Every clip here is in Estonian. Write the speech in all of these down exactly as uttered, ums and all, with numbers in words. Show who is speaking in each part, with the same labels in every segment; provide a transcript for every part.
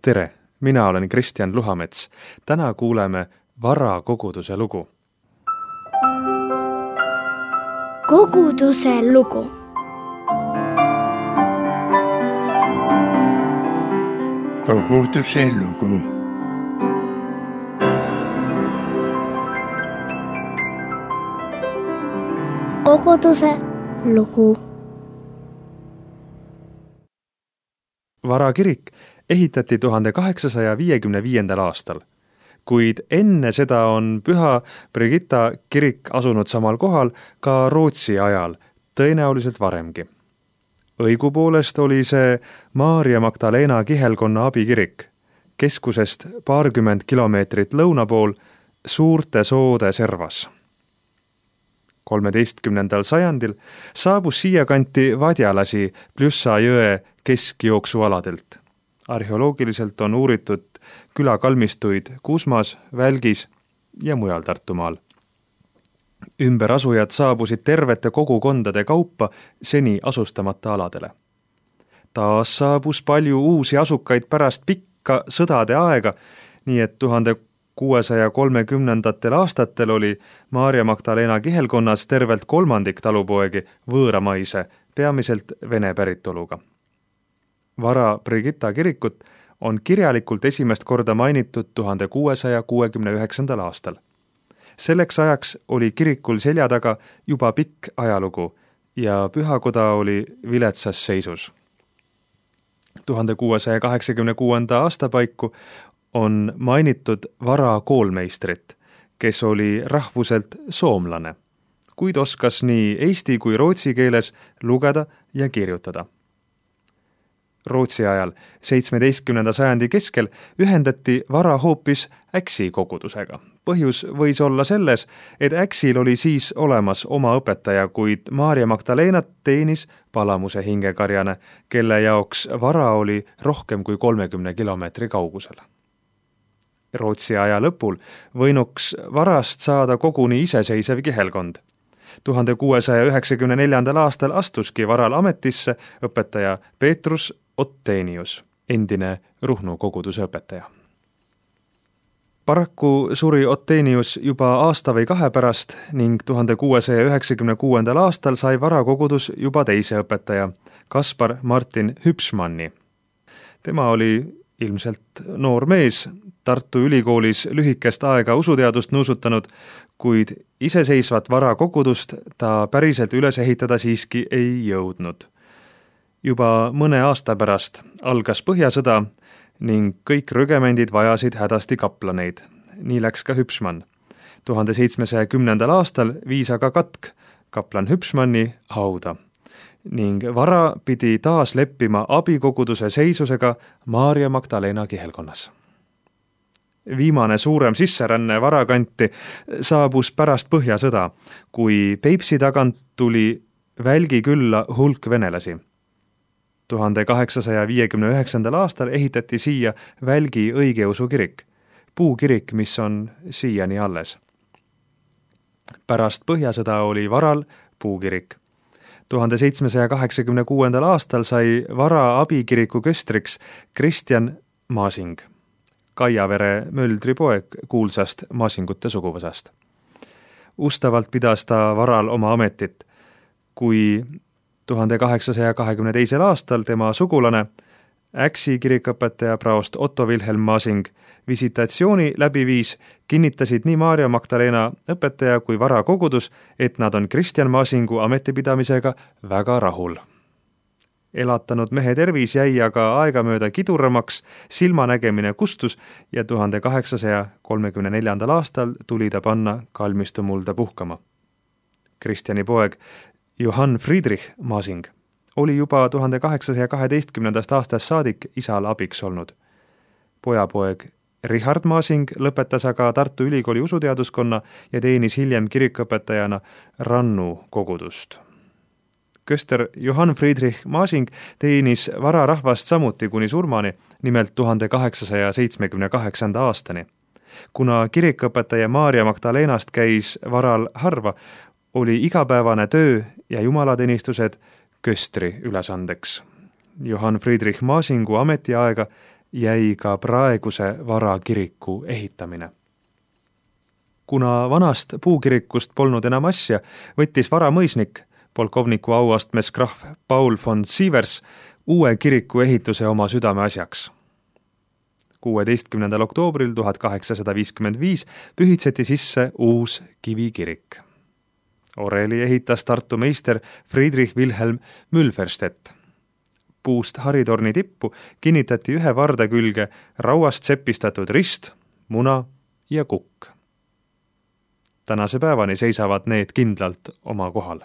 Speaker 1: Tere, mina olen Kristjan Luhamets. Täna kuuleme Vara koguduse lugu.
Speaker 2: Koguduse lugu.
Speaker 3: Koguduse lugu.
Speaker 2: Koguduse lugu.
Speaker 1: Vara kirik ehitati tuhande kaheksasaja viiekümne viiendal aastal, kuid enne seda on Püha Brigitta kirik asunud samal kohal ka Rootsi ajal, tõenäoliselt varemgi. Õigupoolest oli see Maarja Magdalena kihelkonna abikirik, keskusest paarkümmend kilomeetrit lõuna pool Suurte soode servas. kolmeteistkümnendal sajandil saabus siia kanti vadjalasi Pljussa jõe keskjooksualadelt. Arheoloogiliselt on uuritud külakalmistuid Kuusmas, Välgis ja mujal Tartumaal. Ümberasujad saabusid tervete kogukondade kaupa seni asustamata aladele. Taas saabus palju uusi asukaid pärast pikka sõdade aega, nii et tuhande kuuesaja kolmekümnendatel aastatel oli Maarja Magdalena kihelkonnas tervelt kolmandik talupoegi võõramaise, peamiselt vene päritoluga. Vara Brigitta kirikut on kirjalikult esimest korda mainitud tuhande kuuesaja kuuekümne üheksandal aastal. Selleks ajaks oli kirikul selja taga juba pikk ajalugu ja pühakoda oli viletsas seisus. tuhande kuuesaja kaheksakümne kuuenda aasta paiku on mainitud Vara koolmeistrit, kes oli rahvuselt soomlane, kuid oskas nii eesti kui rootsi keeles lugeda ja kirjutada. Rootsi ajal, seitsmeteistkümnenda sajandi keskel, ühendati Vara hoopis Äksi kogudusega. Põhjus võis olla selles, et Äksil oli siis olemas oma õpetaja, kuid Maarja Magdalenat teenis Palamuse hingekarjane, kelle jaoks Vara oli rohkem kui kolmekümne kilomeetri kaugusel. Rootsi aja lõpul võinuks Varast saada koguni iseseisev kihelkond. tuhande kuuesaja üheksakümne neljandal aastal astuski Varal ametisse õpetaja Peetrus Ottenius, endine Ruhnu koguduse õpetaja. Paraku suri Ottenius juba aasta või kahe pärast ning tuhande kuuesaja üheksakümne kuuendal aastal sai Vara kogudus juba teise õpetaja, Kaspar Martin Hüpsmanni. Tema oli ilmselt noor mees, Tartu Ülikoolis lühikest aega usuteadust nuusutanud, kuid iseseisvat Vara kogudust ta päriselt üles ehitada siiski ei jõudnud. Juba mõne aasta pärast algas Põhjasõda ning kõik rügemendid vajasid hädasti kaplaneid. Nii läks ka Hüpsmann. tuhande seitsmesaja kümnendal aastal viis aga katk kaplan Hüpsmanni hauda ning Vara pidi taas leppima abikoguduse seisusega Maarja Magdalena kihelkonnas. Viimane suurem sisseränne Vara kanti saabus pärast Põhjasõda, kui Peipsi tagant tuli Välgi külla hulk venelasi. tuhande kaheksasaja viiekümne üheksandal aastal ehitati siia Välgi õigeusu kirik, puukirik, mis on siiani alles. Pärast Põhjasõda oli Varal puukirik. tuhande seitsmesaja kaheksakümne kuuendal aastal sai Vara abikiriku köstriks Kristjan Masing, Kaiavere Möldri poeg kuulsast Masingute suguvõsast. Ustavalt pidas ta Varal oma ametit, kui tuhande kaheksasaja kahekümne teisel aastal tema sugulane, Äksi kirikõpetaja praost Otto Wilhelm Masing, visitatsiooni läbi viis, kinnitasid nii Maarja Magdalena õpetaja kui Vara kogudus, et nad on Kristjan Masingu ametipidamisega väga rahul. Elatanud mehe tervis jäi aga aegamööda kiduramaks, silmanägemine kustus ja tuhande kaheksasaja kolmekümne neljandal aastal tuli ta panna kalmistumulda puhkama. Kristjani poeg Johann Friedrich Masing oli juba tuhande kaheksasaja kaheteistkümnendast aastast saadik isal abiks olnud. Pojapoeg Richard Masing lõpetas aga Tartu Ülikooli usuteaduskonna ja teenis hiljem kirikõpetajana Rannu kogudust. Köster Johann Friedrich Masing teenis Vara rahvast samuti kuni surmani, nimelt tuhande kaheksasaja seitsmekümne kaheksanda aastani. Kuna kirikõpetaja Maarja Magdalenast käis Varal harva, oli igapäevane töö ja jumalateenistused köstri ülesandeks. Johann Friedrich Masingu ametiaega jäi ka praeguse Vara kiriku ehitamine. Kuna vanast puukirikust polnud enam asja, võttis Vara mõisnik, polkovniku auastmes krahv Paul von Sievers, uue kiriku ehituse oma südame asjaks. kuueteistkümnendal oktoobril tuhat kaheksasada viiskümmend viis pühitseti sisse uus kivikirik. Oreli ehitas Tartu meister Friedrich Wilhelm Mülferstedt. Puust haritorni tippu kinnitati ühe varde külge rauast sepistatud rist, muna ja kukk. Tänase päevani seisavad need kindlalt oma kohal.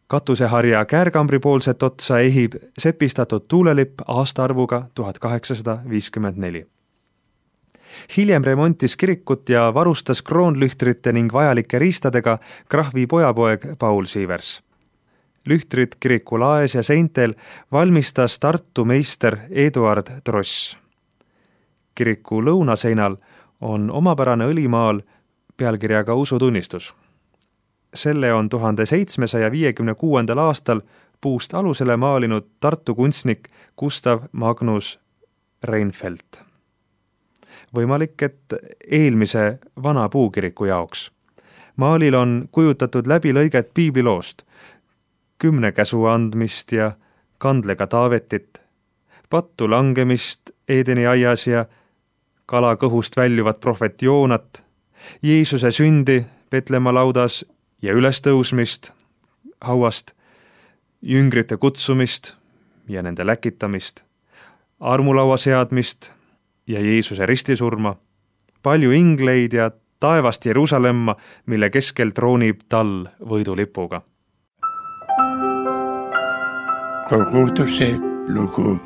Speaker 1: Katuseharja käärkambri poolset otsa ehib sepistatud tuulelipp aastaarvuga tuhat kaheksasada viiskümmend neli. Hiljem remontis kirikut ja varustas kroonlühtrite ning vajalike riistadega krahvi pojapoeg Paul Sievers. Lühtrid kiriku laes ja seintel valmistas Tartu meister Eduard Tross. Kiriku lõunaseinal on omapärane õlimaal pealkirjaga usutunnistus. Selle on tuhande seitsmesaja viiekümne kuuendal aastal puust alusele maalinud Tartu kunstnik Gustav Magnus Reinfeldt. Võimalik, et eelmise vana puukiriku jaoks. Maalil on kujutatud läbi lõiget piibliloost, kümne käsu andmist ja kandlega Taavetit, pattu langemist Eedeni aias ja kala kõhust väljuvat prohvet Joonat, Jeesuse sündi Petlemma laudas ja ülestõusmist hauast, jüngrite kutsumist ja nende läkitamist, armulaua seadmist ja Jeesuse ristisurma, palju ingleid ja taevast Jeruusalemma, mille keskel troonib tall võidulipuga.
Speaker 3: Koguduse lugu.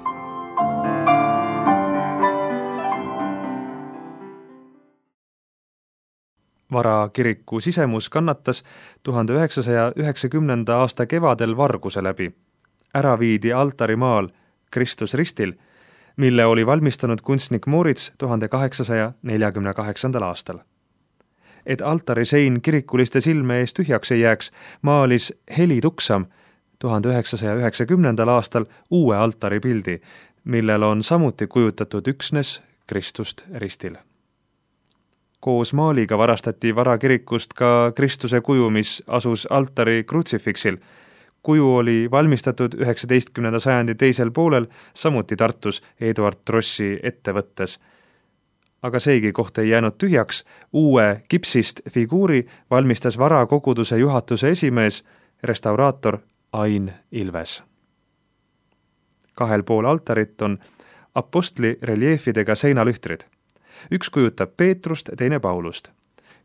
Speaker 1: Vara kiriku sisemus kannatas tuhande üheksasaja üheksakümnenda aasta kevadel varguse läbi. Ära viidi altarimaal Kristus ristil, mille oli valmistanud kunstnik Moritz tuhande kaheksasaja neljakümne kaheksandal aastal. Et altari sein kirikuliste silme ees tühjaks ei jääks, maalis Heli Tuksam tuhande üheksasaja üheksakümnendal aastal uue altari pildi, millel on samuti kujutatud üksnes Kristust ristil. Koos maaliga varastati Vara kirikust ka Kristuse kuju, mis asus altari krutsifiksil. Kuju oli valmistatud üheksateistkümnenda sajandi teisel poolel, samuti Tartus Eduard Trossi ettevõttes. Aga seegi koht ei jäänud tühjaks, uue kipsist figuuri valmistas Vara koguduse juhatuse esimees, restauraator Ain Ilves. Kahel pool altarit on apostli reljeefidega seinalühtrid. Üks kujutab Peetrust, teine Paulust.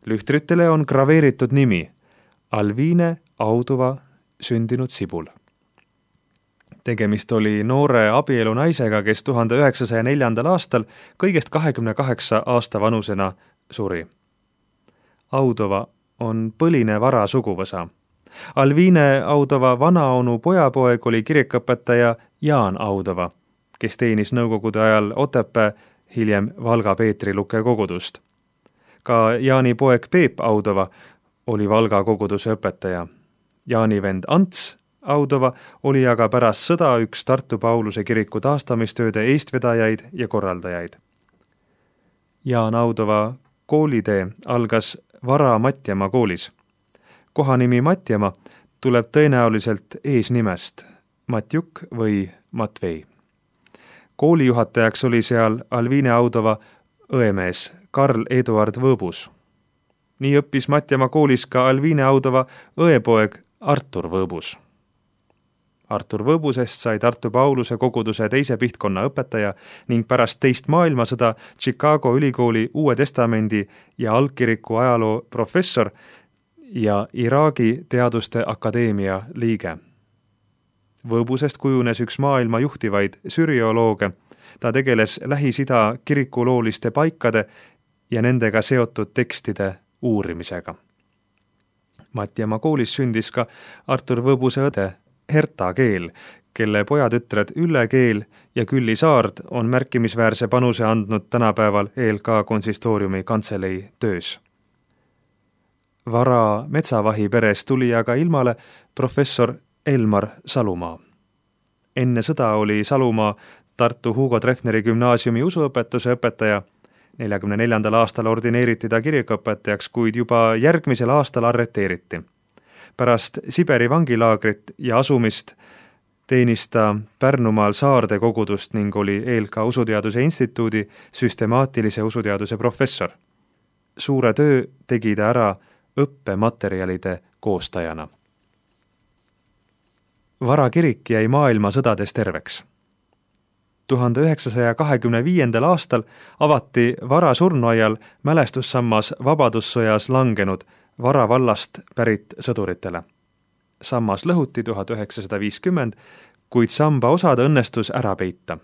Speaker 1: Lühtritele on graveeritud nimi Alviine Auduva sündinud Sibul. Tegemist oli noore abielu naisega, kes tuhande üheksasaja neljandal aastal kõigest kahekümne kaheksa aasta vanusena suri. Audova on põline Vara suguvõsa. Alviine Audova vanaonu pojapoeg oli kirikõpetaja Jaan Audova, kes teenis nõukogude ajal Otepää, hiljem Valga Peetri Luke kogudust. Ka Jaani poeg Peep Audova oli Valga koguduse õpetaja. Jaani vend Ants Audova oli aga pärast sõda üks Tartu Pauluse kiriku taastamistööde eestvedajaid ja korraldajaid. Jaan Audova koolitee algas Vara Matjamaa koolis. Kohanimi Matjamaa tuleb tõenäoliselt eesnimest Matjuk või Matvei. Koolijuhatajaks oli seal Alviine Audova õemees Karl Eduard Võõbus. Nii õppis Matjamaa koolis ka Alviine Audova õepoeg Artur Võõbus. Artur Võõbusest sai Tartu Pauluse koguduse teise pihtkonna õpetaja ning pärast teist maailmasõda Chicago ülikooli Uue Testamendi ja algkiriku ajaloo professor ja Iraagi teaduste akadeemia liige. Võõbusest kujunes üks maailma juhtivaid süriolooge. Ta tegeles Lähis-Ida kirikulooliste paikade ja nendega seotud tekstide uurimisega. Matjamaa koolis sündis ka Artur Võõbuse õde Herta Keel, kelle pojatütred Ülle Keel ja Külli Saard on märkimisväärse panuse andnud tänapäeval E L K konsistooriumi kantselei töös. Vara metsavahi peres tuli aga ilmale professor Elmar Salumaa. Enne sõda oli Salumaa Tartu Hugo Treffneri gümnaasiumi usuõpetuse õpetaja. neljakümne neljandal aastal ordineeriti ta kirikuõpetajaks, kuid juba järgmisel aastal arreteeriti. Pärast Siberi vangilaagrit ja asumist teenis ta Pärnumaal Saarde kogudust ning oli eel ka Usuteaduse Instituudi süstemaatilise usuteaduse professor. Suure töö tegi ta ära õppematerjalide koostajana. Vara kirik jäi maailmasõdades terveks. tuhande üheksasaja kahekümne viiendal aastal avati Vara surnuaial mälestussammas Vabadussõjas langenud Vara vallast pärit sõduritele. Sammas lõhuti tuhat üheksasada viiskümmend, kuid samba osad õnnestus ära peita.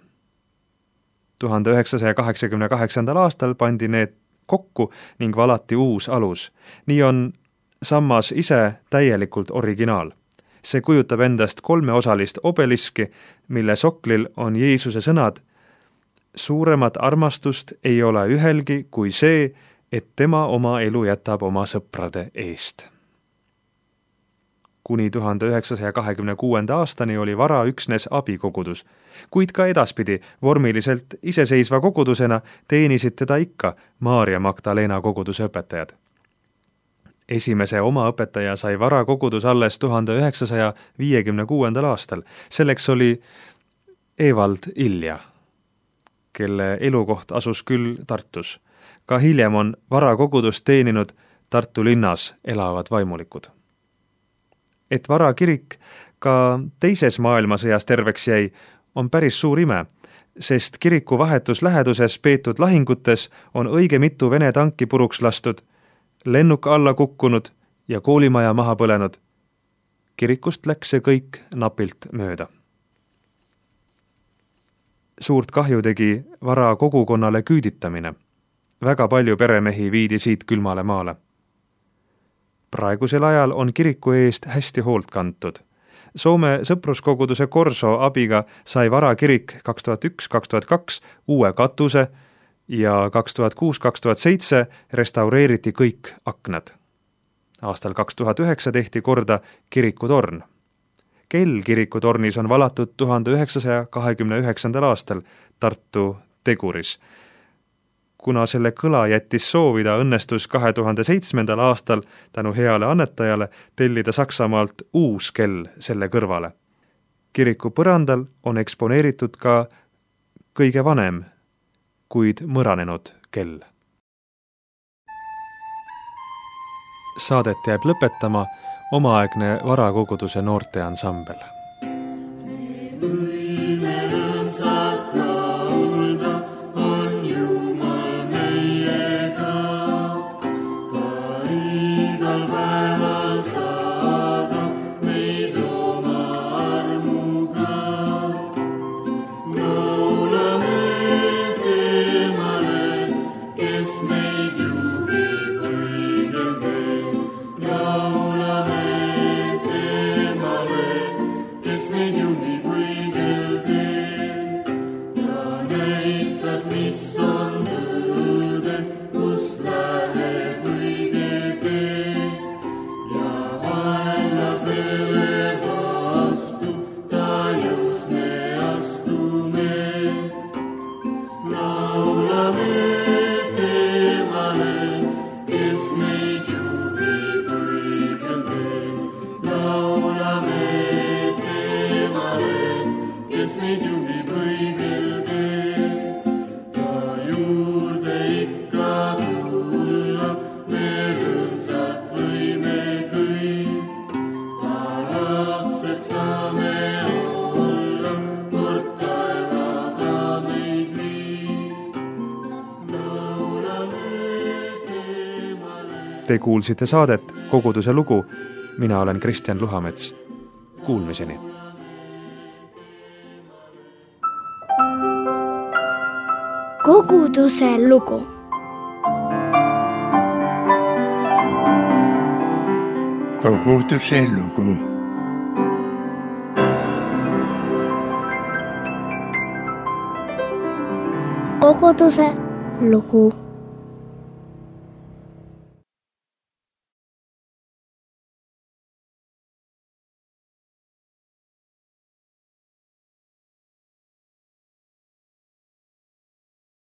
Speaker 1: tuhande üheksasaja kaheksakümne kaheksandal aastal pandi need kokku ning valati uus alus. Nii on sammas ise täielikult originaal. See kujutab endast kolmeosalist obeliski, mille soklil on Jeesuse sõnad: suuremat armastust ei ole ühelgi kui see, et tema oma elu jätab oma sõprade eest. Kuni tuhande üheksasaja kahekümne kuuenda aastani oli Vara üksnes abikogudus, kuid ka edaspidi vormiliselt iseseisva kogudusena teenisid teda ikka Maarja Magdalena koguduse õpetajad. Esimese oma õpetaja sai Vara kogudus alles tuhande üheksasaja viiekümne kuuendal aastal. Selleks oli Evald Ilja, kelle elukoht asus küll Tartus. Ka hiljem on Vara kogudust teeninud Tartu linnas elavad vaimulikud. Et Vara kirik ka teises maailmasõjas terveks jäi, on päris suur ime, sest kiriku vahetus läheduses peetud lahingutes on õige mitu Vene tanki puruks lastud, lennuk alla kukkunud ja koolimaja maha põlenud. Kirikust läks see kõik napilt mööda. Suurt kahju tegi Vara kogukonnale küüditamine. Väga palju peremehi viidi siit külmale maale. Praegusel ajal on kiriku eest hästi hoolt kantud. Soome sõpruskoguduse Korso abiga sai Vara kirik kaks tuhat üks kaks tuhat kaks uue katuse ja kaks tuhat kuus kaks tuhat seitse restaureeriti kõik aknad. Aastal kaks tuhat üheksa tehti korda kirikutorn. Kell kirikutornis on valatud tuhande üheksasaja kahekümne üheksandal aastal Tartu Teguris. Kuna selle kõla jättis soovida, õnnestus kahe tuhande seitsmendal aastal tänu heale annetajale tellida Saksamaalt uus kell selle kõrvale. Kiriku põrandal on eksponeeritud ka kõige vanem, kuid mõranenud kell. Saadet jääb lõpetama omaaegne Vara koguduse noorteansambel. Te kuulsite saadet Koguduse lugu. Mina olen Kristjan Luhamets. Kuulmiseni.
Speaker 2: Koguduse lugu.
Speaker 3: Koguduse lugu.
Speaker 2: Koguduse lugu.